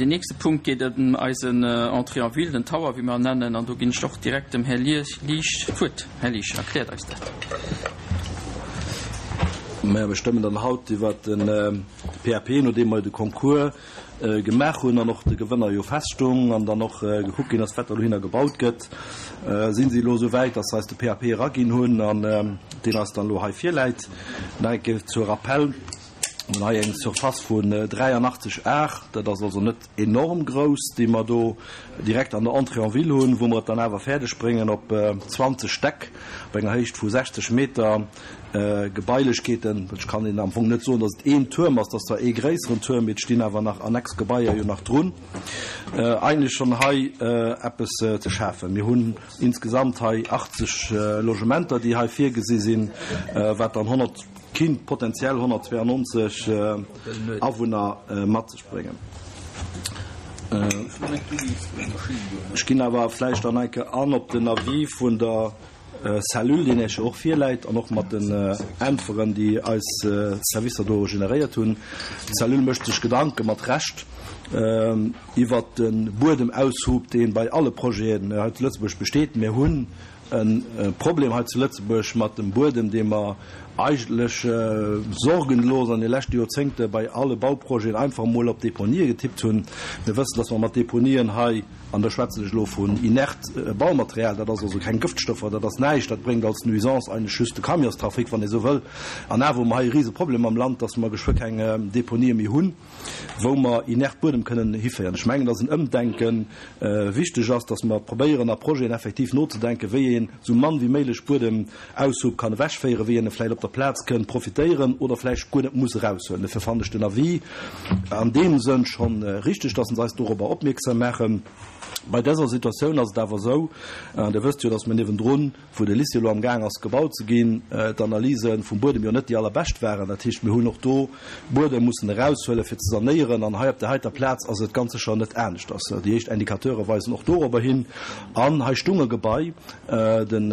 Deen nächste Punkt geet ëm eisen Entrée en ville, den Tower, wéi mer en nennen. An do ginn ech och direkt dem Här Liesch d'Wuert. Här Liesch, erkläert eis dat. Majo, mir stëmmen dann haut iwwert de PAP, nodeem mer jo de Concours gemaach hunn an och de Gewënner jo feststung an dann och gekuckt ginn ass, wat da dohinner gebaut gëtt, si si elo esou wäit, dass se eis de PAP eraginn hunn an deen eis dann elo hei virläit. Nach eng Kéier zur Rappell, Mir hunn hei eng Surface vun 83 Ar, dat ass also net enorm grouss, déi mer do direkt an der Entrée en ville hunn, wou mer et dann awer fäerdeg bréngen op 20 Stäck op enger Héicht vu 60 Meter Gebailechkeeten. Ech kann Ihnen am Fong net soen, dass et een Tuerm ass, et ass zwar ee gréisseren Tuerm, mee et stinn awer nach annex Gebaier jo nach drun, eigentlech schonn hei eppes ze schafen. Mir hunn insgesamt hei 80 Logementer, déi hei virgesi sinn, wat dann 100, kinnt potenziell 192 Awunner mat sech bréngen. Ech ginn awer vläicht dann eng Kéier an op den Avis vun der Cellule, deen Iech jo och virläit, an och mat den Äntweren, déi eis Servicer do generéiert hunn. D'Cellule mécht sech Gedanke mat Recht iwwert de Buedemaushub, dee bei alle Projeten hei zu Lëtzebuerg besteet. Mir hunn e Problem hei zu Lëtzebuerg mat dem Buedem, dee mer eigentlech sorgenlos an de leschte Joerzéngte bei alle Bauprojeten einfach emol op Deponië getippt hunn. Mir wëssen, dass mer mat Deponien hei, an da schwätzen ech elo vun inert Baumaterial, dat ass also keng Gëftstoffer, dat ass näischt, dat bréngt als Nuisance eigentlech just de Camionstrafic, wann ee sou wëll, an awer hu mer hei e rise Problem am Land, dass mer geschwë keng Deponië méi hunn, wou mer inert Buedem kënnen hiféieren. Ech mengen, dass en Ëmdenke wichteg ass, dass mer probéieren, a Projeten effektiv nozedenken, wéi een esou mann wéi méiglech Buedemaushub kann ewechféieren, wéi een e vläicht op der Plaz kënn profitéieren oder vläicht guer net muss eraushuelen. Dofir fannen ech den Avis an deem Sënn schonn richteg, dass se eis dorobber opmierksam maachen. Bei dëser Situatioun ass et awer esou, an Dir wësst jo, dass mer niewendrun, wou de Lycée elo am Gaang ass gebaut ze ginn, d'Analyse vum Buedem jo net déi allerbescht waren. Dat heescht, mir hunn och do Buedem mussen eraushuelen, fir ze sanéieren. An hei op där heiter Plaz ass et ganz sécher net aneschters. Déi éischt Indicateure weisen och dorobber hin. An hei stung e Gebai, den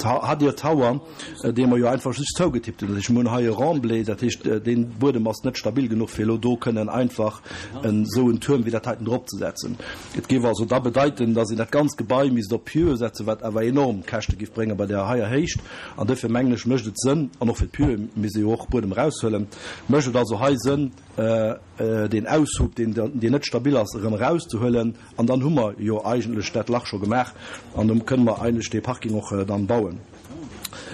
Hadir Tower, dee mer jo einfach just zougetippt hunn. Dat heescht, mir hunn hei e Remblai, dat heescht, dee Buedem ass net stabil genuch, fir elo do kënnen einfach esou en Tuerm wéi dat heiten dropzesetzen. Et géif also da bedeiten, dass een dat ganzt Gebai misst op Pieuxe setzen, wat awer enorm Käschte géif bréngen bei där heier Héicht. An duerfir mengen ech, mécht et Sënn, an och fir d'Pieuxe misst ee jo och Buedem eraushuelen, mécht et also hei Sënn, deen Aushub, deen net stabil ass, erëm erauszehuelen. An dann hu mer jo eigentlech dat Lach scho gemaach an do kënne mer eigentlech dee Parking och dann bauen.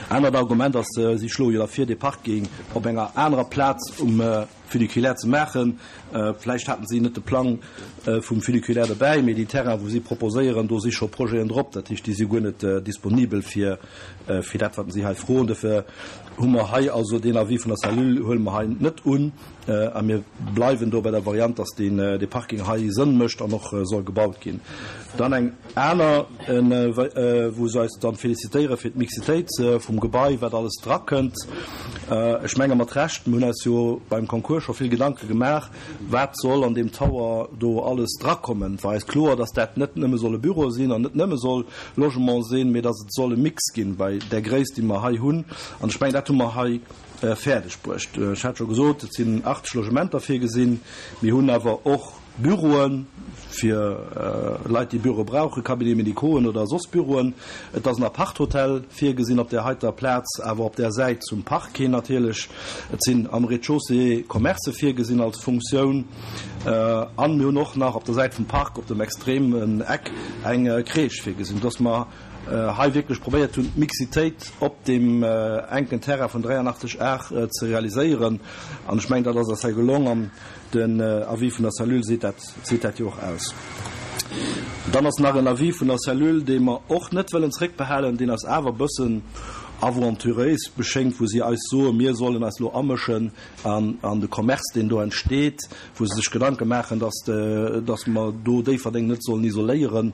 Anert Argument ass, si schloe jo da vir, dee Parking op enger anerer Plaz um Funiculaire ze maachen. Vläicht haten si net de Plang vum Funiculaire dobäi, mee déi Terrainen, wou si proposéieren, do si scho Projeten drop. Dat heescht, déi si guer net disponibel fir fir dat, wat si hei froen. Dofir hu mer hei also deen Avis vun der Cellule huele mer hei net un a mir bleiwen do bei der Variant, dass deen dee Parking hei Sënn mécht an och soll gebaut ginn. Dann eng aner, wou se eis dann félicitéiere fir d'Mixitéit vum Gebai, wat alles drakënnt. Ech menge mat Recht, mir hunn eis jo beim Concours scho vill Gedanke gemaach, wat soll an deem Tower do alles drakommen. Et war eis kloer, dass dat net nëmme solle Büroe sinn an net nëmme soll Logement sinn, mee dass et soll e Mix ginn bei där Gréisst, déi mer hei hunn. An ech mengen, dat hu mer hei fäerdeg bruecht. Ech hat scho gesot, et sinn 80 Logementer virgesinn. Mir hunn awer och Büroe fir Leit, déi Büroe brauchen, Cabinets médicauxen oder soss Büroen. Et ass en Aparthotel virgesinn op där heiter Plaz, awer op där Säit zum Park hin natierlech. Et sinn am Rez-de-chaussée Commercë virgesinn als Funktioun. An mir hunn och nach op der Säit vum Park, op dem extremen Eck, eng Crèche virgesinn, sodass mer hei wierklech probéiert hunn, d'Mixitéit op deem enken Terrain vun 83 Ar ze realiséieren. An ech mengen, dat ass eis hei gelong. An Den Avis vun der Cellule seet dat, seet dat jo och aus. Dann ass nach en Avis vun der Cellule, dee mer och net wëllen zréckbehalen, deen eis awer e bëssen aventuréis beschéngt, wou si eis soen, mir sollen eis elo amëschen an an de Commerce, deen do entsteet, wou se sech Gedanke maachen, dass, dass mer do Déifferdeng net sollen isoléieren.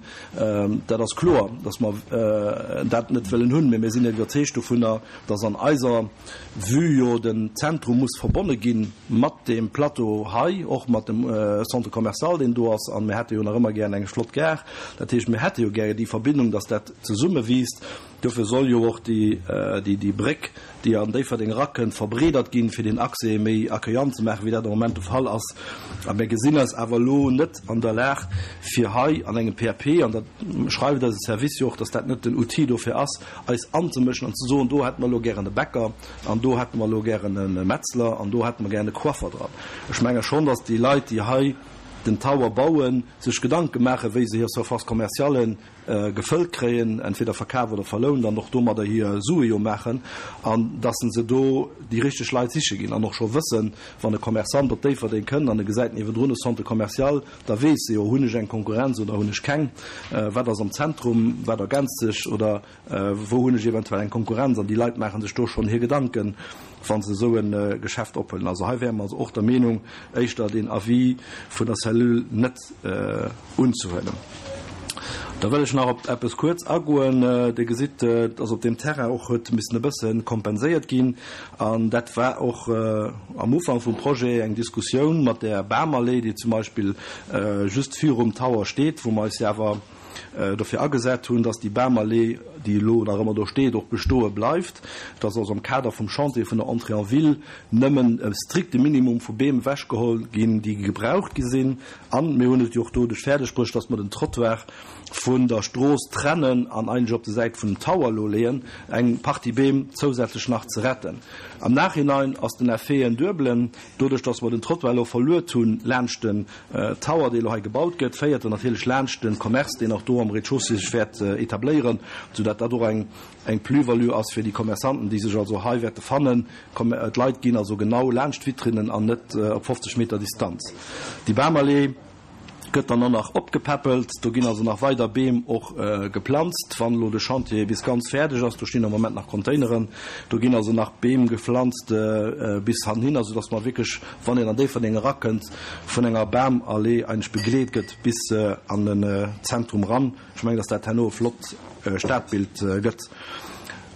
Dat ass kloer, dass mer dat net wëllen hunn, mä mir sinn iwwerzeegt dovunner, dass an eiser Vue jo den Zentrum muss verbonne gi mat deem Plateau hei, och mat dem Centre commercial, deen do ass. A mir hätte jo nach ëmmer gären eng flott Gare. Dat heescht, mir hätte jo gäre déi Verbindung, dass dat zesummewiisst. Dofir soll jo och déi. déi Bréck, déi an Déifferdeng erakënnt, verbreedert ginn, fir deen Accès méi accueillant ze maachen, wéi dat am Moment de Fall ass. A mir gesinn eis awer elo net an der Lag, fir hei an engem PAP, an dat schreift eise Service jo och, dass dat net den Outil dofir ass, eis anzemëschen an ze soen, do hätte mer elo gären e Bäcker an do hätte mer elo gären e Metzler an do hätte mer gären e Coiffer dran. Ech menge schonn, dass déi Leit, déi hei den Tower bauen, sech Gedanke maachen, wéi se hir Surface commerciale gefëllt kréien, entweder verkaf oder verlount, an och domadder hir Sue jo maachen, an dass se do déi richteg Leit siche ginn an och scho wëssen, wann e Commerçant op Déifferdeng kënnt an e gesäit niewendrun e Centre commercial, da weess e jo, hunn ech eng Konkurrenz oder hunn ech keng, wat ass am Zentrum, wat ergänzt sech oder wou hunn ech eventuell eng Konkurrenz. An déi Leit maache sech do schonn hir Gedanken, wa se esou e Geschäft ophuelen. Also hei wäre mer also och der Meenung, éischter deen Avis vun der Cellule net unzehuelen. Da wëll ech nach op eppes kuerz agoen. Dir gesitt, dass op deem Terrain och huet missen e bësse kompenséiert ginn. An dat war och am Ufank vum Projet eng Diskussioun mat där Bamallee, déi zum Beispill just virum Tower steet, wou mer eis jo awer dofir agesat hunn, dass déi Bamallee, déi elo nach ëmmer do steet, och bestoe bleift, dass also am Kader vum Chantier vun der Entrée en ville nëmmen e strikte Minimum vu Beem ewechgeholl ginn, déi gebraucht gi sinn. An mir hunn et jo och doduerch fäerdeg bruecht, dass mer den Trottoir vun der Strooss trennen an eigentlech op de Säit vun dem Tower elo leeën, eng Partie Beem zousätzlech nach ze retten. Am Nachhinein ass den Effet en duebelen. Doduerch, dass mer den Trottoir elo verluet hunn laanscht den Tower, dee elo hei gebaut gëtt, féiert en natierlech laanscht de Commerce, deen och do am Rez-de-chaussée sech wäert etabléieren, soudatt dat och eng eng Plus-value ass fir déi Commerçanten, déi sech also hei wäerte fannen. D'Leit ginn also genau laanscht d'Vitrinnen an net op 50 Meter Distanz. Déi Bamallee gëtt dann och nach opgepäppelt. Do ginn also nach weider Beem och geplanzt, wann elo de Chantier bis ganz fäerdeg ass. Do stinn am Moment nach Containeren. Do ginn also nach Beem gepflanzt bis hanhinner, soudass mer wierklech, wann een an Déifferdeng erakënnt, vun enger Bamallee eigentlech begleet gëtt bis an den Zentrum eran. Ech mengen, dass dat herno e flott Stadbild gëtt.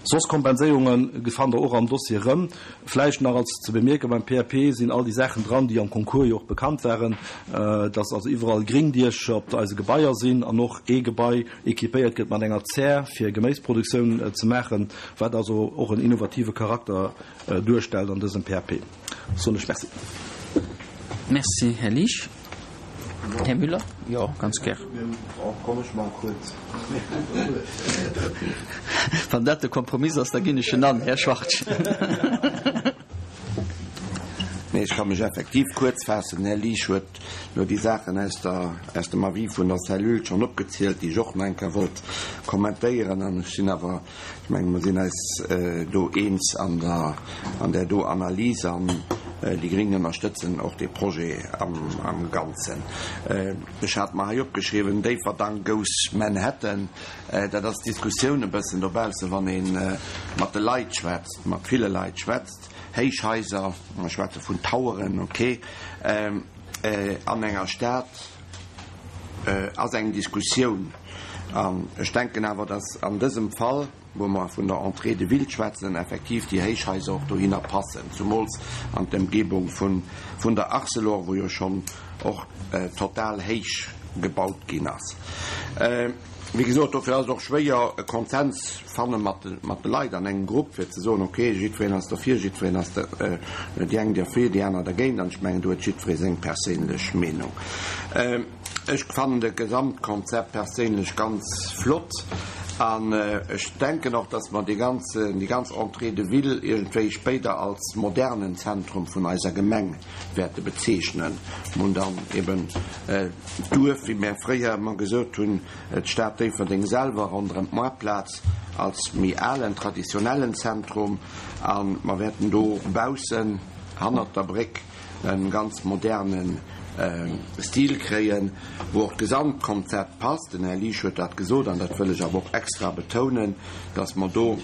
Soss Kompenséierunge fannt Der och am Dossier erëm. Vläicht nach als ze bemierken, beim PAP sinn all déi Saachen dran, déi am Concours jo och bekannt waren, dass also iwwerall Gringdiecher op eise Gebaier sinn an och ee Gebai équipéiert gëtt mat enger Zär, fir Geméisproduktioun ze maachen, wat also och en innovative Charakter duerstellt an dësem PAP. Soen ech Merci. Merci, Här Liesch. Här Müller? Jo, ganz gär. Wann dat de Kompromiss ass, da ginn ech en an, Här Schwartz. Nee, ech ka mech effektiv kuerz faassen. Den Här Liesch huet elo déi Saachen aus der, aus dem Avis vun der Cellule schonn opgezielt, déi ech och nach eng Kéier wollt kommentéieren. An ech sinn awer Ech menge mer sinn eis do eens an der, an där do Analys an déi Gréng ënnerstëtzen och dee Projet am, am Ganzen. Ech hat mer hei opgeschriwwen, Déifferdang goes Manhattan. Dat ass d'Diskussioun e bëssen dobaussen, wann ee mat de Leit schwätzt, mat ville Leit schwätzt. Héichhaiser, mer schwätze vun Toweren, okay, an enger Stad ass eng Diskussioun. An ech denken awer, dass an dësem Fall, wou mer vun der Entrée de ville schwätzen, effektiv déi Héichhaiser och dohinner passen, zumools an d'Emgebung vun der Arcelor, wou jo schonn och total héich gebaut ginn ass. Wéi gesot, dofir ass et och schwéier, e Konsens fanne mat de Leit an engem Grupp, fir ze soen, okay, jiddwereen ass derfir, jiddwereen ass déi eng derfir, déi aner dergéint. An ech mengen, do huet jiddweree seng perséinlech Meenung. Ech fannen de Gesamtkonzept perséinlech ganz flott an ech denken och, dass mer déi ganz, déi ganz Entrée de ville iergendwéi spéider als modernen Zentrum vun eiser Gemeng wäerte bezeechnen. Mer hunn dann eben d'Duerf, wéi mär fréier ëmmer gesot hunn, d'Stad Déifferdeng selwer ronderëm d'Moartplaz als méi alen, traditionellen Zentrum a mer wäerten do baussen, hannert der Bréck, e ganz moderne Stil kréien, wou och d'Gesamtkonzept passt. Den Här Liesch huet dat gesot, an dat wëll ech awer och extra betounen, dass mer do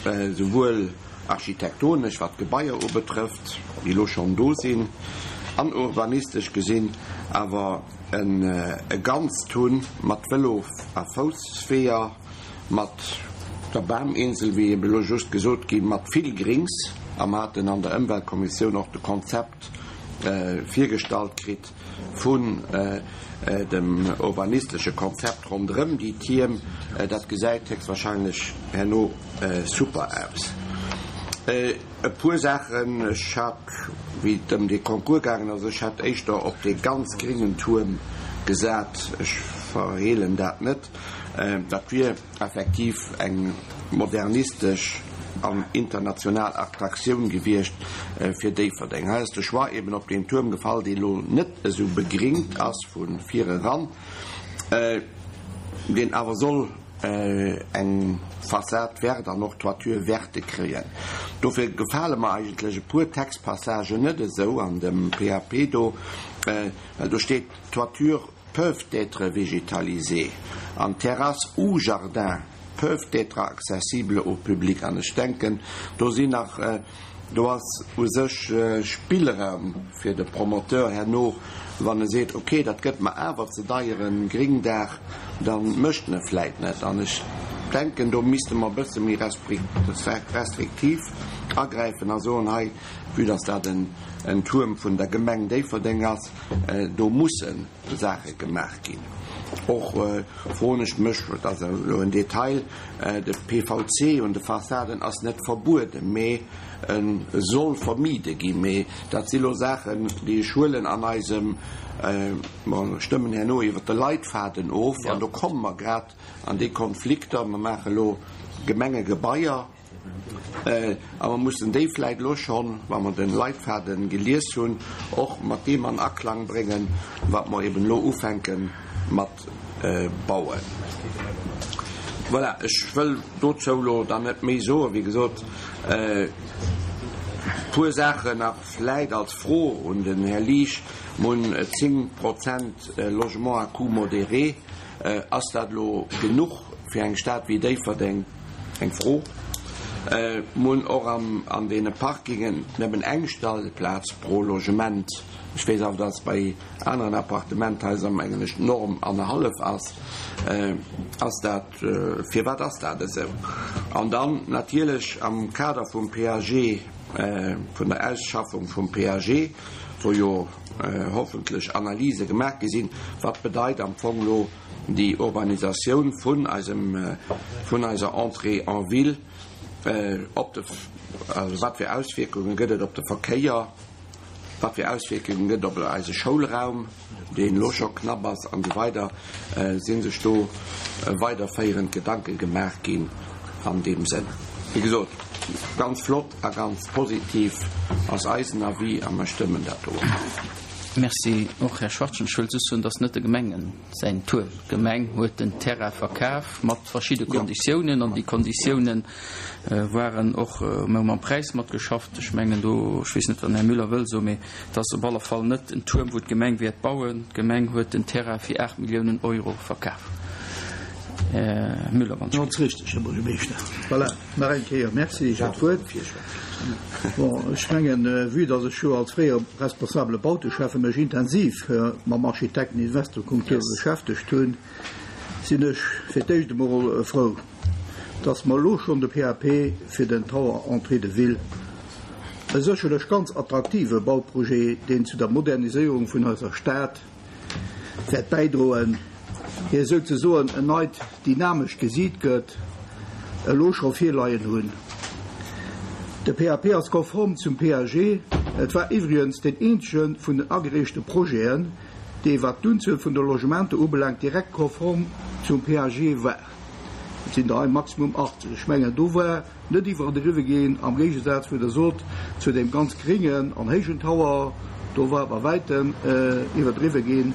souwuel architektonesch, wat d'Gebaier ubetrëfft, déi elo schonn do sinn, an urbanistesch gesinn awer e Ganzt hunn mat Vëlo a Foussweeër, mat der Baminsel, wéi eben elo just gesot ginn, mat vill Grings, a mer haten an der Ëmweltkommissioun och de Konzept virgestallt kritt. vun dem urbanistesche Konzept ronderëm déi Tierm, dat gesäit héchstwahrscheinlech herno super aus. E puer Saachen, ech hat, wéi et ëm dee Concours gaangen ass, ech hätt éischter op dee ganz gréngen Tuerm gesat, ech verheelen dat net, dat wier effektiv eng modernistesch an international Attraktioun gewiescht fir Déifferdeng. Hei ass de Choix eben op deen Tuerm gefall, dee lo net esou begringt ass vu vir eran, deen awer soll eng Façade verte an och Toiture verte kréien. Dofir gefale mer eigentlech e puer Textpassagen net esou an dem PAP do, well do steet Toiture peuvent être végétalisées an Terrasses ou jardins peuvent être accessibles au public. An ech denken, do sinn nach, do ass u sech Spillraum fir de Promoteur herno, wann e seet, okay, dat gëtt mer awer ze deier e Gringdaach, da mécht en e vläit net. An ech denken, do misste mer e bësse méi restriktiv agräifen a soen, hei, vue dass dat en Tuerm vun der Gemeng Déifferdeng ass, Do musse Saache gemaach ginn. Och froen ech mech, dat ass elo en Detail, de PVC un de Fassaden ass net verbueden, mee e soll vermide ginn. Mee dat si lo Saachen, déi ech huelen an eisem, mer stëmmen herno iwwert de Leitfaden of an do komme mer grad an déi Konflikter. Mer maache lo Gemengegebaier. A mer mussen déi vläit elo schonn, wa mer de Leitfaden gelies hunn, och mat deem an Aklang bréngen, wat mer eben elo ufänke mat bauen. Voilà, ech wëll dozou elo dann net méi soen. Wéi gesot, e puer Saachen nach vläit als Fro un den Här Liesch. Mer hunn 10 Prozent Logement à coût modéré. Ass dat elo genuch fir eng Stad wéi Déifferdeng? Eng Fro. Mer hunn och an deene Parkingen nëmmen eng Stellplaz pro Logement. Ech weess awer, dass bei aneren Appartementhaiser, mengen ech, d'Norm annerhallef ass. Ass dat, firwat ass dat esou? An dann natierlech am Kader vum PAG, vun der Ausschaffung vum PAG, wou jo hoffentlech Analyse gemaach gi sinn, wat bedeit am Fong elo déi Urbanisatioun vun eisem, vun eiser Entrée en ville op de, also wat fir Auswierkunge gëtt et op de Verkéier, wat fir Auswierkunge gëtt et op eise Schoulraum, deen elo scho knapp ass, an esou weider. Si sech do weiderféierend Gedanke gemaach ginn an deem Sënn? Wéi gesot, ganz flott a ganz positiv ass eisen Avis a mer stëmmen dat do och. Merci och, Här Schwachtgen. Ech wëll just soen, dass net de Gemengen säin Tour. D'Gemeng huet den Terrain verkaf mat verschidde Konditiounen an déi Konditiounen waren och, mir hu mam Präis matgeschafft. Ech mengen do, ech weess net, wat den Här Müller wëll soen, mee et ass op alle Fall net en Tuerm, wou d'Gemeng wäert bauen. D'Gemeng huet den Terrain fir 8 Milliounen Euro verkaf. Här Müller, wann ech. Ganz richtig, Här Buergermeeschter. Voilà, nach eng Kéier Merci fir d'Wuert. Bon, ech mengen, vue dass ech jo als fréiere responsabele Bauteschäffe mech intensiv mam Architekten-Investor-Concours beschäftegt hunn, sinn ech fir d'éischt emol frou, dass mer elo schonn de PAP fir den Tower Entrée de Ville, e sécherlech ganz attraktive Bauprojet, deen zu der Moderniséierung vun eiser Stad wäert bäidroen, hir souzesoen en neit dynamescht Gesiit gëtt, elo scho virleien hunn. De PAP ass konform zum PAG. Et war iwwregens deen eenzege vun den agereechte Projeten, dee wat d'Unzuel vun de Logementer ubelaangt direkt konform zum PAG war. Et sinn der hei maximum 80. Ech mengen, do war Net iwwerdriwwe ginn, am Géigesaz, wéi Der sot, zu deem ganz gréngen an héijen Tower, do war bei wäitem iwwerdriwwe ginn.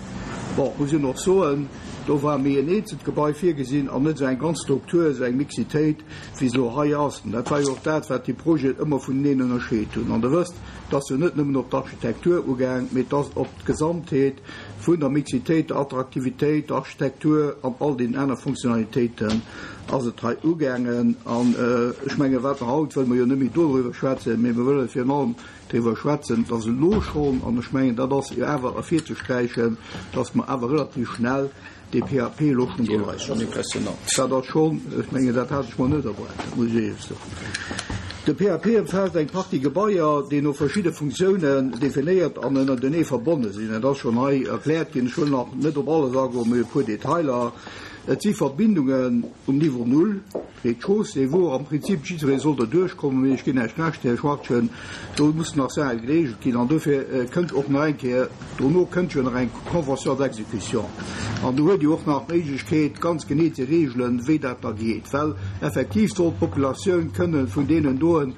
Bon, muss een och soen, do war méi en eenzelt Gebai virgesinn an net esou eng ganz Struktur, esou eng Mixitéit, wéi se elo hei ass. An dat war jo och dat, wat déi Projeten ëmmer vuneneen ënnerscheet hunn. An Der wësst, et ass jo net nëmmen op d'Architektur ugaang, mee et ass op d'Gesamtheet vun der Mixitéit, der Attraktivitéit, der Architektur an all deenen aner Funktionalitéiten ass et hei ugaangen. An ech mengen, wat mer haut, wëlle mer jo net méi doriwwer schwätzen, mee mer wëlle virun allem driwwer schwätzen, dass elo schonn, an ech mengen, dat ass jo awer ervirzesträichen, dass mer awer relativ schnell dee PAP elo schonn do leien hunn. Dat ass schonn, ech mengen, dat hat ech mer net erwaart, dat muss ech éierlech soen. De PAP ëmfaasst eng Partie Gebaier, déi no verschidde Funktiounen definéiert an ënnertenee verbonne sinn. Dat ass schonn hei erkläert ginn. Ech wëll nach net op alles agoen, mee e puer Detailer. Et si Verbindungen um Niveau null, Rez-de-chaussée, wou am Prinzip jiddweree soll derduerch kommen, mee ech ginn Iech Recht, Här Schwachtgen, do mussen nach Saache gereegelt ginn an dofir kënnt och nach eng Kéier, dono kënnt jo nach eng Convention d'exécution an do huet Dir och nach d'Méiglechkeet, ganz genee ze reegelen, wéi dat da geet, well effektiv soll d'Populatioun kënne vun deenen doen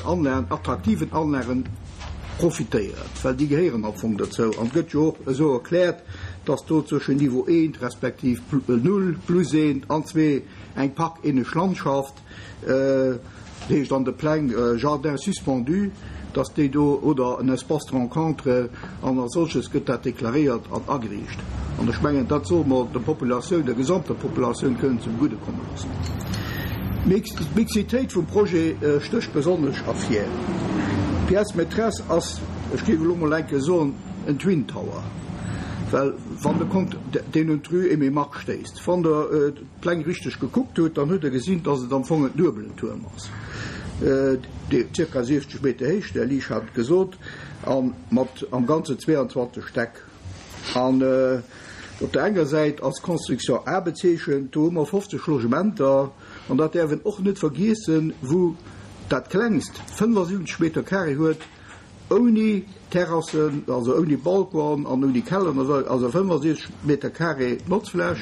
Anlagen, attraktiven Anlagen profitéieren, well déi gehéieren am Fong dozou an et gëtt jo och esou erkläert, dass do zwëschen Niveau eent respektiv null plus eent an zwee eng parkähnlech Landschaft, dat heescht an de Pläng Jardin suspendu, dass déi do, oder en Espace de rencontre an als solches gëtt dat deklaréiert an ageriicht. An ech mengen, dat solle mer der Populatioun, der gesamter Populatioun kënnen zum Gudde komme loossen. D'Mixitéit vum Projet stécht besonnesch ervir. D'Pièce maîtresse ass, ech géif elo mol eng Kéier soen, en Twin Tower, well wann de Compte, deen un d'Rue Aimé Margue stéisst, wann Der d'Pläng richteg gekuckt hutt, dann hutt Der gesinn, dass et am Fong en duebelen Tuerm ass, dee zirka 60 Meter héich, de Här Liesch hat et gesot, a mat am Ganzen 22 Stäck. An op der enger Säit ass d'Construction A bezeechent, do hu mer 50 Logementer, an dat däerf een och net vergiessen, wou dat klengst 75 Meter carré huet, Ouni Terrassen, also ouni Balcon an ouni Keller, also 65 Meter carré Notzfläch.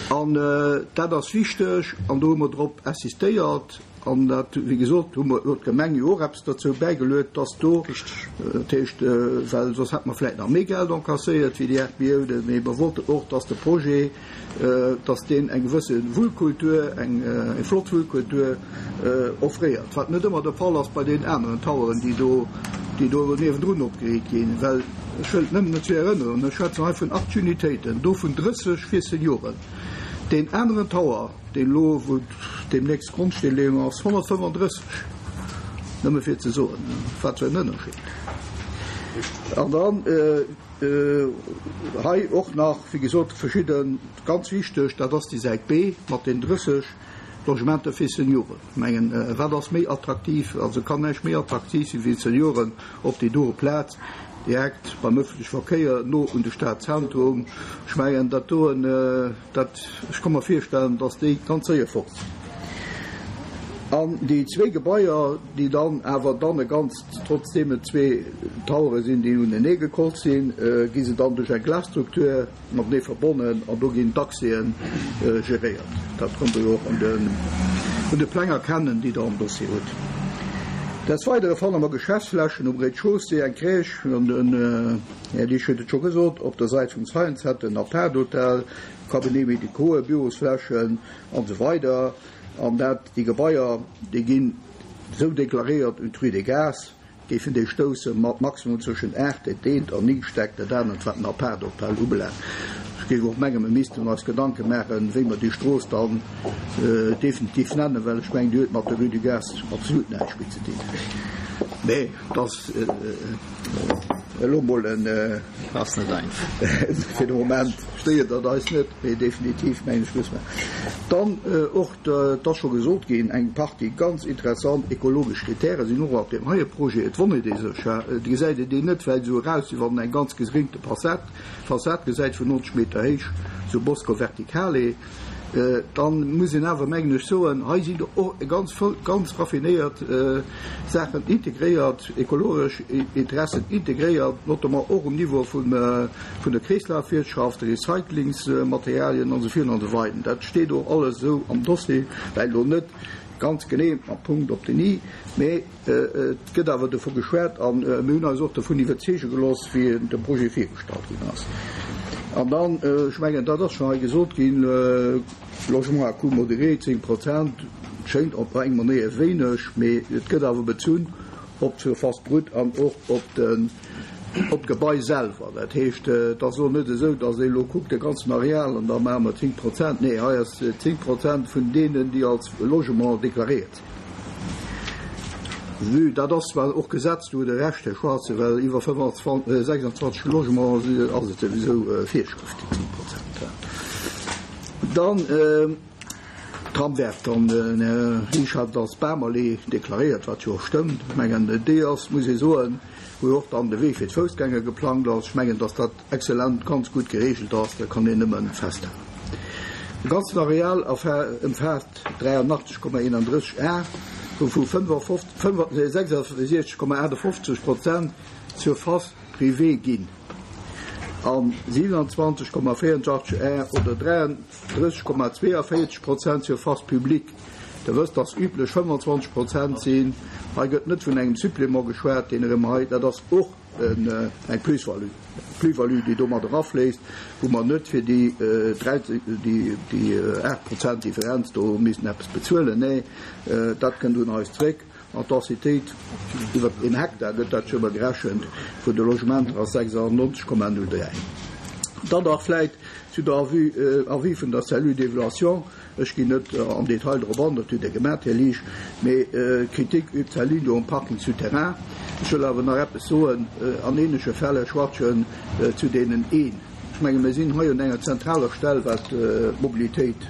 An dat ass wichteg an do hu mer drop insistéiert. An dat, wéi gesot, hu mer, huet d'Gemeng jo och eppes derzou bäigeluet, dass do, dat heescht, well soss hätte mer vläicht nach méi Geld encasséiert wéi déi 8 Milliounen, mee mer wollten och, dass de Projet, dass deen eng gewësse Wullkultur, eng flott Wullkultur offréiert, wat net ëmmer de Fall ass bei deenen aneren Toweren, déi do, déi do niewendrun opgeriicht ginn. Well ech wëll nëmmen dozou erënneren, ech schwätzen hei vun 80 Unitéiten, dovun 30 fir Senioren. Deen aneren Tower, deen elo, wou deemnächst Grondsteenleeung ass, 135, nëmme fir ze soen, wat fir en Ënnerscheed. An dann. Hei och nach, wéi gesot, verschidden, ganz wichteg, dat ass déi Säit B mat den 30 Logementer fir Senioren. Ech mengen, wat ass méi attraktiv, also kann näischt méi attraktiv sinn wéi Senioren op déi doe Plaz, direkt beim öffentleche Verkéier, no un de Stadzentrum. Ech mengen, dat doen, Dat, ech ka mer virstellen, dass déi ganz séier fort sinn. An déi zwéi Gebaier, déi dann awer dann e ganzt, trotzdeem et zwee Towere sinn, déi unenee gekollt sinn, gi se dann duerch eng Glasstruktur matenee verbonnen an do ginn d'Accèsen geréiert. Dat konnt Der jo och un de Pläng erkennen, déi Der am Dossier hutt. Des Weidere fanne mer Geschäftsflächen um Rez-de-chaussée, eng Crèche an den. Här Liesch huet et scho gesot, op der Säit vum Science Center en Apart-Hotel, Cabinets médicaux, Bürosflächen an esou weider. An dat, déi Gebaier, déi ginn esou deklaréiert un d'Rue des Gares, géifen déi stousse mat maximum zwëschen 8, dat eent, an 9 Stäck, dat anert, wat den Apart-Hotel ubelaangt. Ech géif och mengen, mir missten eis Gedanke maachen, wéi mer déi Strooss dann definitiv nennen, well ech mengen, déi huet mat der Rue du Gaz absolut näischt méi ze dinn. Mä et ass. Elo mol en. Ass net einfach. Fir de Moment stéiert dat eis net, mee definitiv mengen ech muss mer dann och, et ass scho gesot ginn, eng Partie ganz interessant ekologesch Kritäre sinn och op deem heie Projet. Et wonnert ee sech, et gesäit een déi net wäit esou eraus, wéi wann en eng ganz gesénkte Fassad, Fassad gesäit vun 90 Meter héich, sou Bosco verticale. Dann muss een awer, mengen ech, soen, hei sinn och ganz ganz raffinéiert Saachen integréiert, ekologesch Interessen integréiert, notamment och um Niveau vun der Kreeslafwirtschaft, Recyclingsmaterialien an esou virun an esou weider. Dat steet och alles esou am Dossier, well elo net ganz genee mam Punkt op den i, mee Et gëtt awer dovu geschwat a mir hunn eis och dovun iwwerzeege gelooss, wéi de Projet virgestallt ginn ass. An dann, ech mengen, dat ass schonn hei gesot ginn, Logement à coût modéré, 10 Prozent, schéngt op eng Manéier wéineg, mee et gëtt awer bezunn op d'Surface brute an och op den, op d'Gebai selwer. Dat heescht, et ass elo net esou, datt ee elo kuckt, de ganzen Areal an da maache mer 10 Prozent. Nee, hei ass 10 Prozent vun deenen, déi als Logement deklaréiert sinn. Vue, dat ass zwar och Gesetz, do hutt Der Recht, Här Schwarze, well iwwer 26 Logements ass et souwisou Virschrëft, déi 10 Prozent. Dann. Tram wäert dann, den Här Riesch hat et als Bamallee deklaréiert, wat jo och stëmmt. Ech mengen, déi ass, muss ee soen, wou jo och dann de Wee fir d'Foussgänger geplangt ass. Ech mengen, dass dat exzellent, ganz gutt geregelt ass, dat kann een nëmme festhalen. De ganzen Areal ëmfaasst 83,31 Ar, wouvu 66,58 Prozent Surface privée ginn an 27,84 Ar oder 33,42 Prozent Surface publique. Der wësst, dass üblech 25 Prozent sinn. Hei gëtt net vun engem Supplément geschwat, deen erëm hei, dat ass och eng Plus-value, Plus-value, déi domat erafléisst, wou mer net fir déi 13, déi 8 Prozent Differenz do missten eppes bezuelen. Nee, dat kënnt un eis zréck. An d'Densitéit iwwer een Hektar gëtt dat scho mol gerechent vun de Logementer ass 96,03. Dann nach vläit zu der Avis vun der Cellule d'évaluation. Ech ginn net am Detail drop an, dat hutt Dir gemat, Här Liesch, mee d'Kritik übt d'Cellule do um Parking souterrain. Ech wëll awer nach eppes soen an ähnleche Fäll, Här Schwachtgen, zu deenen een. Ech menge mir sinn hei un enger zentraler Stell wat d'Mobilitéit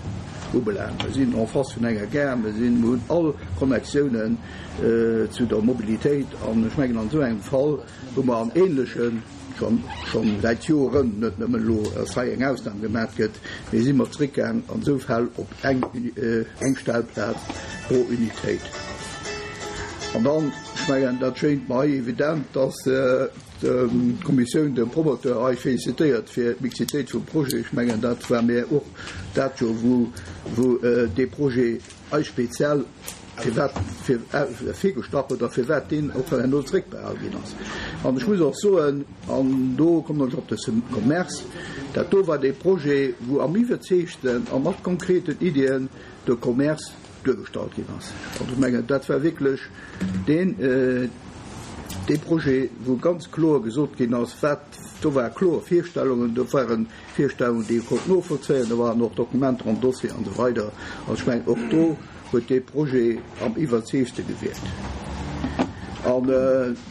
ubelaangt. Mir sinn en face vun enger Gare, mir sinn, mir hunn all Connectiounen zu der Mobilitéit an ech mengen an esou engem Fall wou mer an ähnlechen, schonn schonn säit Joren, net nëmmen elo dass hei eng Ausnam gemat gëtt, mee si mer zréckgaang an esou Fäll op eng eng Stellplaz pro Unitéit. An dann, ech mengen dat schéint mer hei evident, dass D'Kommissioun dem Promoteur hei félicitéiert fir d'Mixitéit vum Projet. Ech mengen, dat war mir och dat jo, wou, wou dee Projet hei speziell firwat virgestach huet a firwat deen och herno zréckbehal ginn ass. An ech muss och soen, an do kommen ech op de Commerce, dat do war dee Projet, wou am iwwerzeegsten a mat konkreten Iddien de Commerce duergestallt ginn ass. Also ech mengen, dat war wierklech deen, dee Projet, wou ganz kloer gesot ginn ass, wat, do ware kloer Virstellungen, do ware Virstellungen, déi ee konnt novollzéien, do waren och Dokumenter am Dossier an esou weider. Also ech mengen, och do huet dee Projet am iwwerzeegste gewierkt. An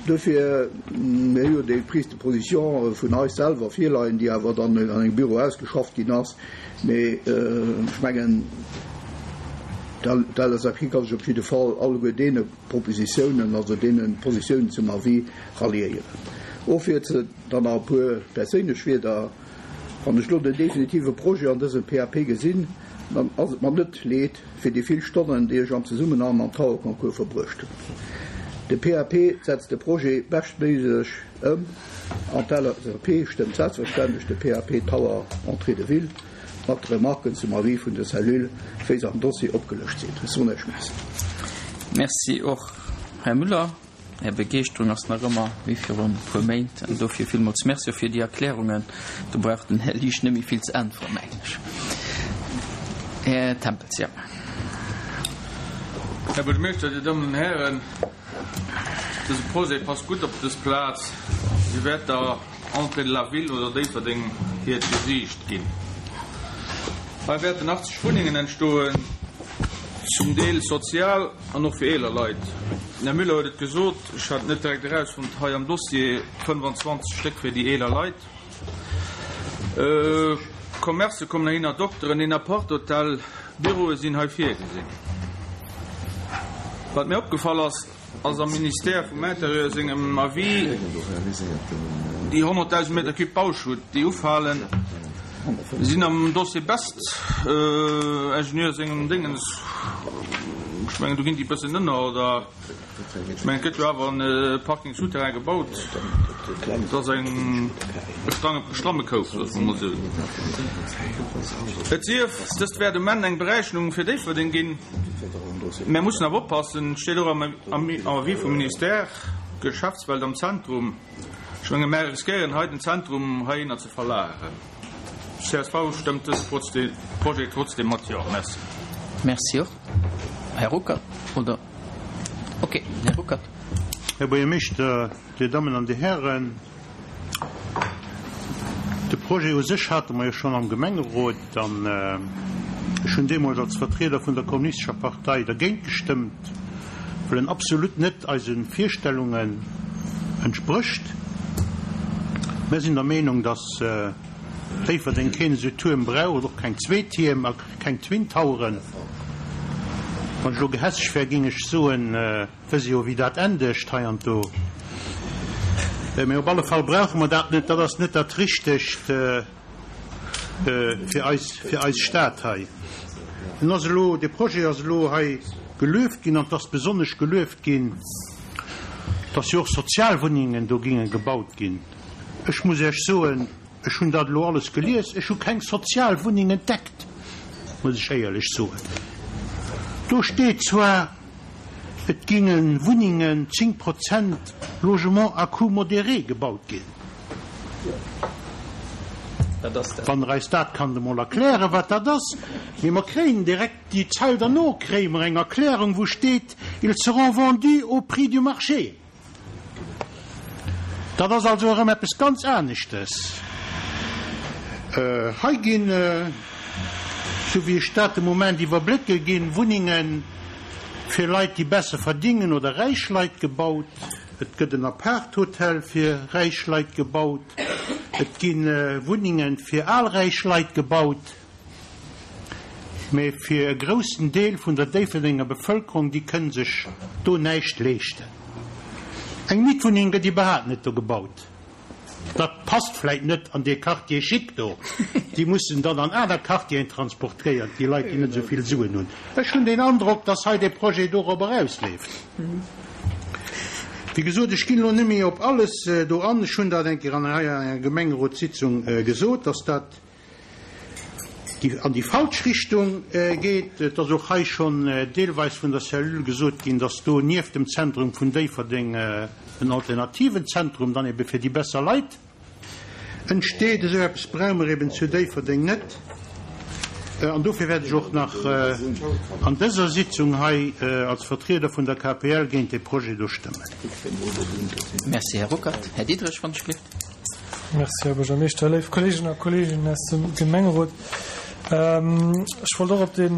dofir, mir hu jo déi Prise de position vun eis selwer virleien, déi awer dann an engem Büro ausgeschafft ginn ass, Mee ech mengen, d'LSAP ka sech op jidde Fall alleguer deene Propositiounen, also deene Positiounen zum Avis ralliéieren. Och fir ze dann nach e puer perséinlech Wierder, Wann ech elo den definitive Projet an dësem PAP gesinn, dann ass et mer net leed fir déi vill Stonnen, déi ech am Zesummenhang mam Tower Concours verbruecht hunn. De PAP setzt de Projet beschtméiglech ëm. An d'LSAP stëmmt selbstverständlech de PAP Tower Entrée de Ville mat de Remarken zum Avis vun der Cellule, wéi se am Dossier opgelëscht sinn. Ech soen Iech Merci. Merci och, Här Müller. Är Begeeschterung ass nach ëmmer wéi virun e puer Méint. An dofir villmools Merci och fir déi Erklärungen. Do brauch den Här Liesch net méi vill ze äntweren, mengen ech. Här Tempels, jo. Här Buergermeeschter, Dir Dammen an Hären, Dëse Projet passt gutt op dës Plaz. Si wäert der Entrée de la Ville oder Déifferdeng hiert Gesiicht ginn. Hei wäerten 80 Wunnengen entstoen, zum Deel sozial an och fir eeler Leit. Den Här Müller huet et gesot, ech hat et net direkt erausfonnt hei am Dossier, 25 Stéck fir déi eeler Leit. Commercë kommen heihinner, Dokteren, een Apart-Hotel, Büroe sinn hei virgesinn. Wat mir opgefall ass, ass am Ministère vum Intérieur sengem Avis déi 100.000 Meter Cube Bauschutt, déi ufalen, sinn am Dossier Best Ingenieur sengem Déngens, ech mengen do ginn déi e bëssen ënner, oder? Ech mengen, et gëtt jo awer e Parking souterrain gebaut. Et ass eng stramme Koup, loosse mer emol esou. Et sief, dëst wäert um Enn eng Beräichnung fir Déifferdeng ginn. Mär mussen awer oppassen, et steet och am Avis vum Ministère, Geschäftswelt am Zentrum. Ech menge mär riskéieren hei den Zentrum heihinner ze verlageren. Csv stëmmt dëse Projet trotzdeem mat Jo. Merci. Merci och. Här Ruckert, oder? Ok, Här Ruckert. Här Buergermeeschter, Dir Dammen an Dir Hären, de Projet u sech hate mer jo schonn am Gemengerot an ech hunn deemools als Vertrieder vun der Kommunistescher Partei dergéint gestëmmt, well en absolut net eise Virstellungen entsprécht. Mär sinn der Meenung, dass Déifferdeng keen esou Tuerm braucht, och keng zwee Tierm a keng Twin Toweren. Wann ech elo gehässeg wär, géing ech soen, wëss jo wéi dat endegt hei an do. Mee op alle Fall brauche mer dat net. Dat ass net dat Richtegt fir eis, fir eis Stad hei. En ass elo, de Projet ass elo hei gelueft ginn an et ass besonnesch gelueft ginn, dass jo och Sozialwunnengen do géinge gebaut ginn. Ech muss Iech soen, ech hunn dat elo alles gelies, ech hu keng Sozialwunneng entdeckt, muss ech éierlech soen. Do steet zwar, et géinge Wunnengen, 10 Prozent Logement à coût modéré gebaut ginn. Wann Der eis dat kannt emol erklären, wat dat ass. Mee mer kréien direkt déi Zeil derno kréie mer eng Erklärung, wou steet, Ils seront vendus au prix du marché. Dat ass also erëm eppes ganz aneschtes. Hei ginn, esou wéi ech dat de Moment iwwerblécke, ginn Wunnenge fir Leit, déi besser verdingen oder räich Leit gebaut. Et gëtt en Aparthotel fir räich Leit gebaut. Et gi Wunnenge fir al räich Leit gebaut. Mee fir e groussen Deel vun der Déifferdenger Bevëlkerung, déi kënn sech do näischt leeschten. Eng Mietwunneng gëtt iwwerhaapt net do gebaut. Dat passt vläit net an dee Quartier chic do. Déi mussen dann an aner Quartieren transportéiert, déi Leit, déi net esou vill Suen hunn. Ech hunn den Androck, dass hei dee Projet dorop erausleeft. Wéi gesot, ech ginn elo net méi op alles do an. Ech hunn dat eng Kéier an hei an enger Gemengerotssitzung gesot, dass dat déi an déi falsch Richtung geet. Et ass och hei schonn deelweis vun der Cellule gesot ginn, dass do nieft dem Zentrum vun Déifferdeng en alternativen Zentrum dann ebe fir déi besser Leit entsteet. Esou eppes brauche mer eben zu Déifferdeng net. An dofir wäert ech och nach an dëser Sitzung hei als Vertrieder vun der KPL géint dee Projet do stëmmen. Merci, Här Ruckert. Här Diderich, wann ech gelift. Merci, Här Buergermeeschter. Léif Kolleeginnen a Kolleegen aus dem Gemengerot, ech wollt och op dee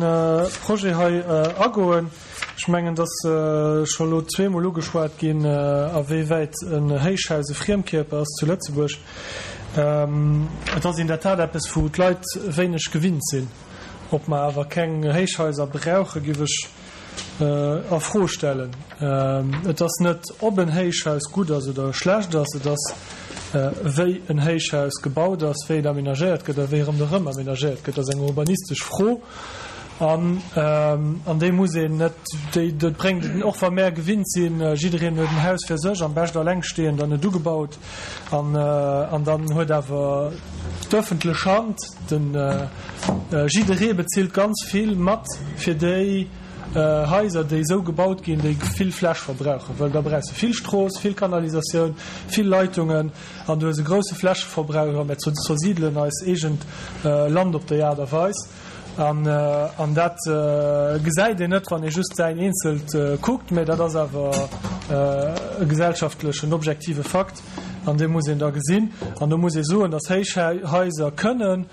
Projet hei agoen. Ech mengen, et ass scho elo zweemol ugeschwat ginn, awéiwäit en Héichhaus e Friemkierper ass zu Lëtzebuerg. Et ass in der Tat eppes, wou d'Leit wéineg gewinnt sinn. Ob mer awer keng Héichhaiser brauchen, géif ech a Fro stellen. Et ass net, ob en Héichhaus gutt ass oder schlecht ass, et ass, wéi en Héichhaus gebaut ass, wéi et aménagéiert gëtt a wéi ronderëm aménagéiert gëtt. Dat ass eng urbanistesch Fro an an déi muss een net, déi, dat bréngt et, och wa mär gewinnt sinn, jiddereen huet en Haus fir sech, am bescht allengstehend an net ugebaut, an an dann huet awer d'öffentlech Hand, den jidderee bezilt ganz vill mat fir déi Haiser, déi esou gebaut ginn, déi vill Fläch verbrauchen, well da brauchs de vill Strooss, vill Kanalisatioun, vill Leitungen an du hues e grousse Flächeverbrauch a mir zersidelen eis eegent Land op déi Aart a Weis. An dat gesäit een net, wann ee just säin eenzelt kuckt, mä dat ass awer e gesellschaftlechen, objektive Fakt an dee muss een da gesinn. An do muss ee soen, datt Héichhaiser kënnen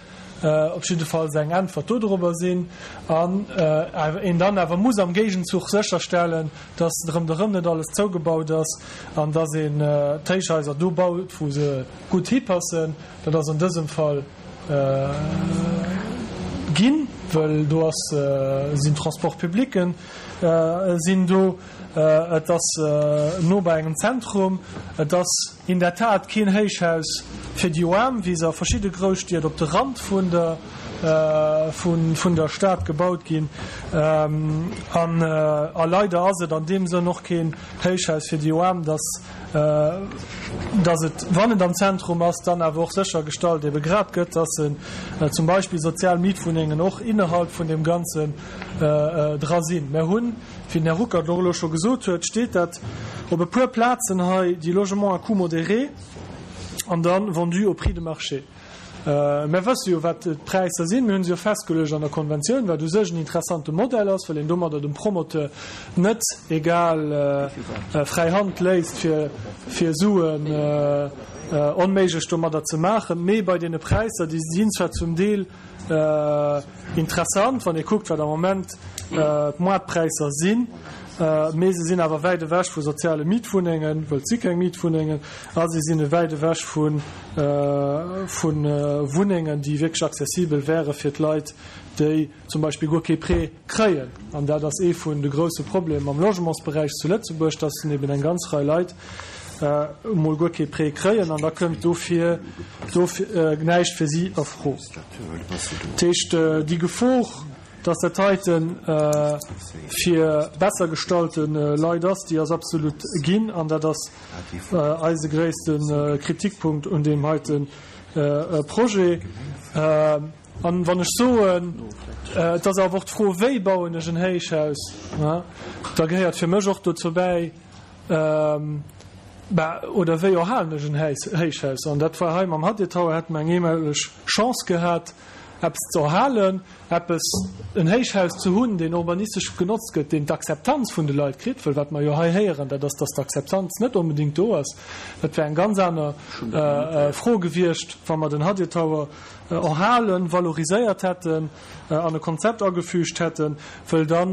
op jiddefalls eng Äntwert dodrobber sinn an een dann awer muss am Géigenzuch sécherstellen, dass ronderëm net alles zougebaut ass an dass een d'Héichhaiser do baut, wou se gutt hipassen. Dat ass an dësem Fall ginn, well do ass, sinn Transport-publicken sinn do, et ass no bei engem Zentrum, et ass In der Tat keen Héichhaus fir déi Oarm, wéi se a verschidde Grousstied op de Rand vun der vun der Stad gebaut ginn. An a leider ass et an deem Sënn och keen Héichhaus fir déi Oarm, dass dass et, wann et am Zentrum ass, dann awer och séchergestallt ebe grad gëtt, dass en zum Beispill sozial Mietwunnengen och innerhalb vun deem Ganzen dra sinn. Mer hunn. Wéi den Här Ruckert och elo scho gesot huet, steet dat op e puer Plazen hei, déi Logements à coût modéré an da vendus au prix de marché. Mer wësse jo, wat d'Präisser sinn. Mir hu se jo festgeluecht an der Konventioun, wat u sech en interessante Modell ass, well een domadder dem Promoteur net egal fräi Hand léisst, fir fir Suen onméiglech domadder ze maachen. Mee bei deene Präisser, déi sinn zwar zum Deel Interessant, wann ee kuckt, wat am Moment d'Moartpräisser sinn. Mee se sinn awer wäit ewech vu soziale Mietwunnengen, wëll et si keng Mietwunnengen, a se sinn wäit ewech vu Wunnengen, déi wierklech accessibel wäre fir d'Leit, déi zum Beispill guer kee Prêt kréien. An dat ass ee vun de grousse Problemer am Logementsberäich zu Lëtzebuerg, dass eben eng ganz Rei Leit emol guer kee Prêt kréien an da kënnt dofir näischt fir si a Fro. Dat heescht, déi Gefor, Dass dat heite fir besser gestallte Leit ass, déi ass absolut ginn. An dat ass eise gréisste Kritikpunkt un deem heite Projet. An wann ech soen, et ass awer och d'Fro, Wéi bauen ech en Héichhaus? da gehéiert fir mech och dozou bäi, oder wéi erhalen ech en Héichhaus? An dat war hei mam Hadir Tower, hätte mer eng eemoleg Chance gehat, eppes ze erhalen, eppes, en Héichhaus ze hunn, deen urbanistesch genotzt gëtt, deen d'Akzeptanz vun de Leit kritt, wëll wat mer jo hei héieren, dat ass, dass d'Akzeptanz net onbedéngt do ass. Dat wär eng ganz aner Fro gewiescht, wa mer den Hadir Tower erhalen, valoriséiert hätten an e Konzept agefügt hätten, wëll da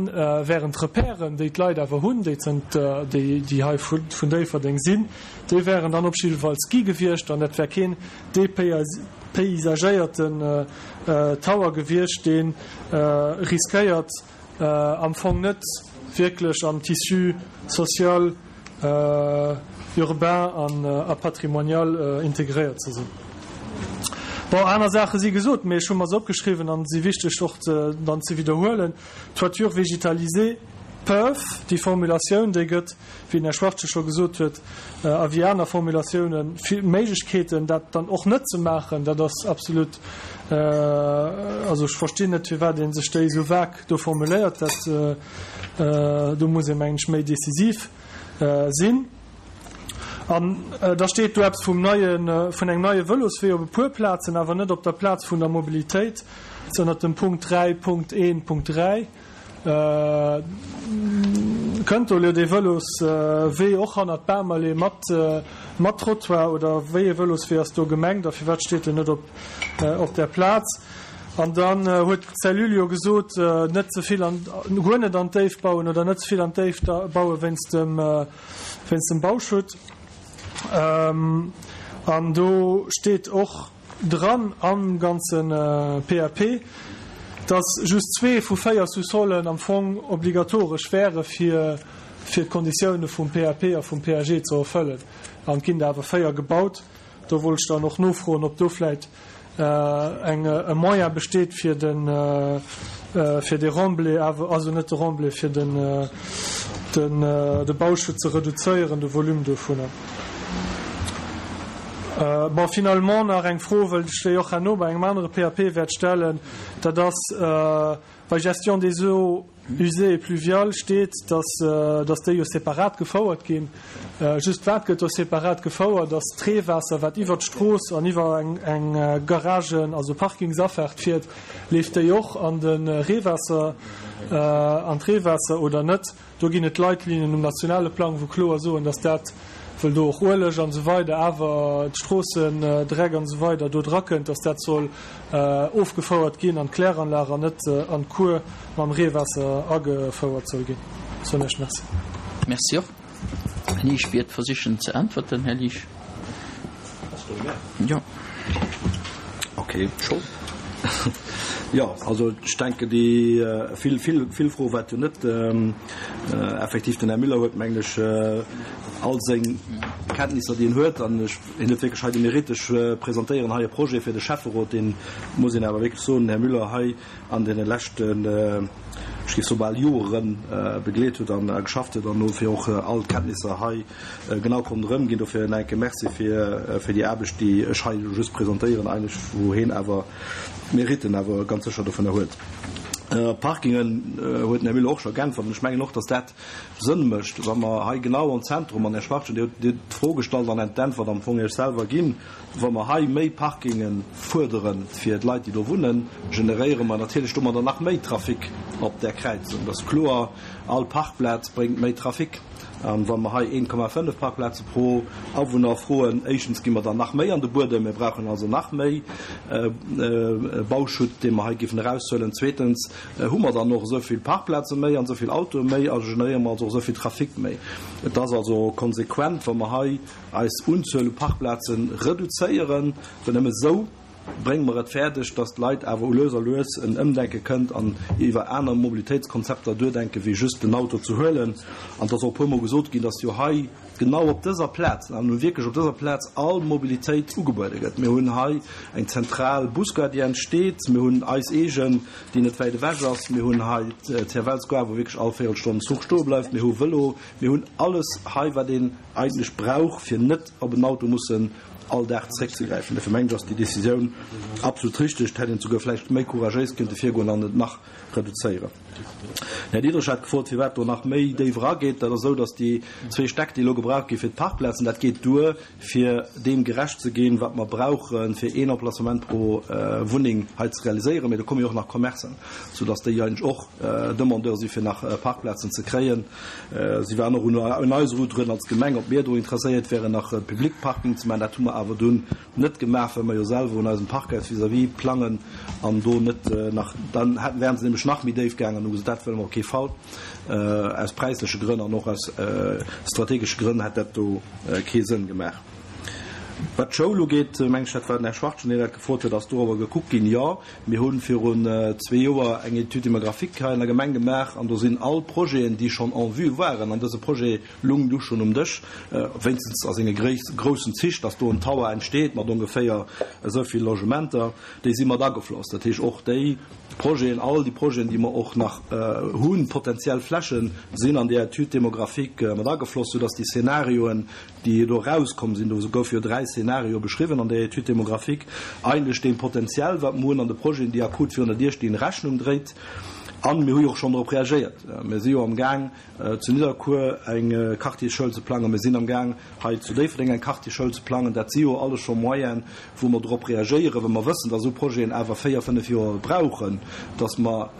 wären d'Repèren, déi d'Leit awer hunn, déi zënter, déi hei vun Déifferdeng sinn, déi wären dann op jiddefalls gi gewiescht an dat wär keen depaysagéierten Tower gewiescht, dee riskéiert am Fong net wierklech am Tissu social, urbain a patrimonial integréiert ze sinn. Bon, aner Saache si gesot, mee ech hu mer se opgeschriwwen an si wichteg och dann ze widderhuelen. Toitures végétalisées peuvent, déi Formulatioun, déi gëtt, wéi den Här Schwachtgen scho gesot huet, a wéi aner Formulatiounen, vill Méiglechkeeten, dat dann och net ze maachen. Dat ass absolut, also ech verstinn net, firwat ee sech déi esou vague do formuléiert. Dat, do muss ee mengen ech méi decisiv sinn. An da steet do eppes vum neien, vun engem neie Vëloswee op e puer Plazen, awer net op der Plaz vun der Mobilitéit, ënnert dem Punkt 3.1.3. Kënnt do elo dee Vëloswee och hannert d'Bamallee mat mat Trottoir oder wéi ee Vëloswee ass do gemengt a firwat steet en net op op där Plaz? An dann huet d'Cellule jo gesot, net ze vill an guer net an d'Déift bauen oder net ze vill an d'Déift baue wéinst dem wéinst dem Bauschutt. An do steet och, Dran am ganze PAP, dass just zwee vu véier Sous-solen am Fong obligatoresch wäre fir fir d'Konditioune vum PAP a vum PAG ze erfëllen. An et ginn der awer véier gebaut. Do wollt ech dann och nofroen, ob do vläicht eng e Moyen besteet fir de fir dee Remblai awer, also net de Remblai, fir den den de Bauschutt ze reduzéieren, de Volume dovunner. Bon, finalement nach eng Fro, wëll ech déi och herno bei engem anere PAP wäert stellen, dat ass, bei Gestion des eaux usées et pluviales steet, dass, dass déi jo separat gefouert ginn. Just wat gëtt do separat gefouert? Ass d'Reewaasser, wat iwwert d'Strooss an iwwer eng, eng Garagen, also Parkingsafaart fiert, leeft déi och an de Reewaasser, an d'Reewaasser oder net? Do ginn et Leitlinien um nationale Plang, wou kloer soen, dass dat, wëll do och Ueleg an esou weider, awer d'Stroossendreck an esou weider do drakënnt, dass dat soll ofgefouert ginn an d'Kläranlag an net an d'Kuer mam Reewaasser agefouert soll ginn. Soen Iech Merci. Merci och. Här Liesch wäert versichen ze äntwerten. Här Liesch. Jo. Okay, scho. Jo, also ech denken, déi vill, vill, vill Froe war et jo net. Effektiv, den Här Müller huet, mengen ech, all seng Kenntnisser, déi en huet, an ech, hien huet wierklech hei de Mérite, ech presentéieren hei e Projet fir de Schäfferot, deen, muss een awer wierklech soen, den Här Müller hei an deene leschten, ech géif soe bal Joeren, begleet huet an geschafft huet an dofir och all d'Kenntnisser hei genau konnt erëmginn. Dofir en enke Merci fir fir déi Aarbecht, déi ech hei just presentéieren eigentlech, wou heen awer d'Meritten awer ganz sécher dovunner huet. Parkingen huet den Här Müller och scho geäntwert an ech mengen och, dass dat Sënn mécht, wa mer hei genau am Zentrum, an Här Schwachtgen, Dir hutt d'Fro gestallt an d'Äntwert am Fong Iech selwer ginn, wa mer hei méi Parkinge fuerdere fir d'Leit, déi do wunnen, generéiere mer natierlech domadder nach méi Trafic op där Kräizung. Dat ass kloer, all Parkplaz bréngt méi Trafic. A wa mer hei 1,5 Parkplaze pro Awunner froen, éischtens gi mer dann nach méi an de Buedem, mir brauchen also nach méi Bauschutt, dee mer hei géifen eraushuelen, zweetens hu mer dann och esou vill Parkplaze méi an esou vill Autoe méi a generéiere mer also och esou vill Trafic méi. Et ass also konsequent, wa mer hei eis Unzuel u Parkplaze reduzéieren, well nëmme esou brénge mer et fäerdeg, dass d'Leit awer u lues a lues en Ëmdenke kënnt an iwwer aner Mobilitéitskonzepter duerdenken, wéi just den Auto ze huelen. An et ass och e puermol gesot ginn, dass jo hei genau op dëser Plaz, an nun wierklech op dëser Plaz, all Mobilitéit ugebuede gëtt. Mir hunn hei eng zentral Busgare, déi entsteet. Mir hunn eis eegen, déi net wäit ewech ass. Mir hunn hei d'Servelle Square, wou wierklech all Véierelstonn en Zuch stoe bleift. Mir hu Vëlo. Mir hunn alles hei, wat een eigentlech brauch, fir net op en Auto mussen all Dag zréckzegräifen. Dofir mengen ech, ass déi Décisioun absolut richteg. Et hätt een souguer vläicht méi couragéis kënnte virgoen an et nach reduzéieren. Den Här Diderich hat gefrot, firwat do nach méi déif erageet. Dat ass esou, datt déi zwee Stäck, déi elo gebraucht gi fir d'Parkplazen, dat geet duer, fir deem gerecht ze ginn, wat mer brauchen, fir een Emplacement pro Wunneng hei ze realiséieren. Mee do komme jo och nach Commercen, soudatt déi eigentlech och Demandeur si fir nach Parkplazen ze kréien. Si waren och un eis erudruen als Gemeng, ob mir do interesséiert wären, nach e Public Parking ze maachen. Dat hu mer awer dunn net gemaach, well mer jo selwer un eisem Parkhaus vis-à-vis plangen an do net nach, dann hätten, wären se nämlech nach méi déif gaangen an hu gesot, dat wëlle mer op kee Fall. Aus präisleche Grënn an och aus strategesche Grënn hätt dat do kee Sënn gemaach. Wat d'Schoul ugeet, meng ech, dat war den Här Schwachtgen, deen dat gefrot huet, ass dorobber gekuckt ginn. Jo, mir hu virun zwee Joer eng Étude démographique hei an der Gemeng gemaach an do sinn all Projeten, déi schonn en vue waren, an dëse Projet lung du schonn um Dësch, wéinstens a senge groussen Zich, dass do en Tower entsteet mat ongeféier esou vill Logementer, déi si mat agefloss. Dat heescht, och déi Projeten, all déi Projeten, déi mer och nach hunn, potenziell Flächen, sinn an déi Étude démographique mat agefloss, soudass déi Szenarioen, déi do erauskomm sinn, do goufe jo dräi Szenarioe beschriwwen an där Étude démographique, eigentlech deem Potenzial, wat mer hunn an de Projeten, déi akut virun der Dier stinn, Rechnung dréit. A mir hu jo och schonn drop reagéiert. Mir si jo amgaang, zu Nidderkuer eng Quartiersschoul ze plangen. Mir sinn amgaang, hei zu Déifferdeng eng Quartiersschoul ze plangen. Dat si jo alles scho Moyenen, wou mer drop reagéieren, well mer wëssen, dass esou Projeten awer véier, fënnef Joer brauchen, dass mer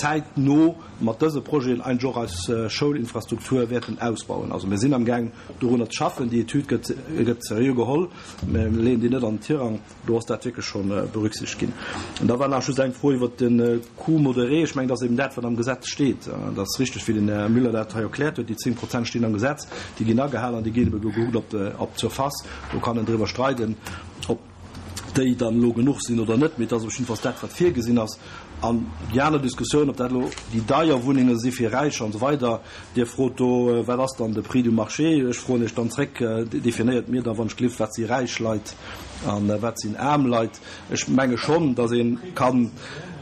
zäitno mat dëse Projeten eigentlech och eis Schoulinfrastruktur wäerten ausbauen. Also mir sinn amgaang, dorunner ze schaffen. Déi Etüd gëtt, gëtt seriö geholl. Mir leeën déi net an den Tirang. Do ass dat wierklech scho berücksichtegt ginn. An da war nach just eng Fro iwwert de Coût modéré. Ech mengen, dat ass eben dat, wat am Gesetz steet. Dat ass richteg, wéi den Här Müller dat hei erkläert huet. Déi 10 Prozent stinn am Gesetz, déi ginn agehalen an déi ginn ebe gekuckt op op d'Surface. Do kann een driwwer streiden, ob déi dann elo genuch sinn oder net, mee et ass op jiddefalls dat, wat virgesinn ass. An déi aner Diskussioun, ob dat elo déi deier Wunnenge si fir Räicher an esou weider, Dir frot do, wat ass dann de Prix du marché? Ech froen Iech dann zréck, definéiert mir da wann ech gelift, wat si räich Leit a wat sinn aarm Leit? Ech menge schonn, datt ee kann,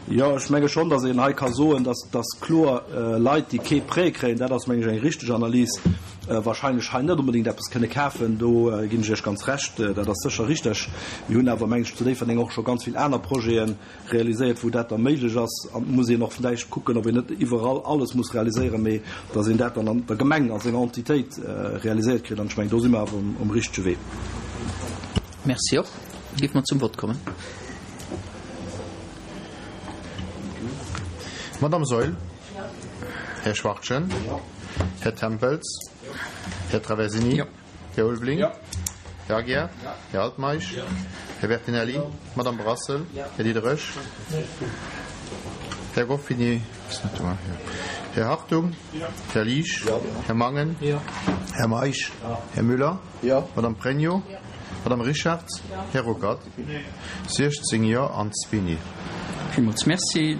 jo, ech menge schonn, datt een hei ka soen, datt, datt kloer Leit, déi kee Prêt kréien, dat ass meng ech eng richteg Analys, wahrscheinlech hei net onbedéngt eppes kënne kafen. Do ginn ech Iech ganz Recht, dat ass sécher richteg. Mir hunn awer, meng ech, zu Déifferdeng och scho ganz vill aner Projeten, realiséiert, wou dat da méiglech ass. An et muss een och vläicht kucken, ob een net iwwerall alles muss realiséieren, mee datt een dat dann an der Gemeng a senger Entitéit realiséiert kritt. An ech mengen, do si mer awer um richtege Wee. Merci och. Géife mer zum Vott kommen. Madamm Saeul. Här Schwachtgen. Här Tempels. Här Traversini. Här Ulveling. Här Aguiar. Här Altmeisch. Här Bertinelli. Madamm Brassel. Här Diderich. Här Ruffini ass net do. Här Hartung. Här Liesch. Här Mangen. Här Meisch. Här Müller. Madamm Pregno. Madamm Richartz. Här Ruckert. 16 Jo an zwee Nee. Villmools Merci.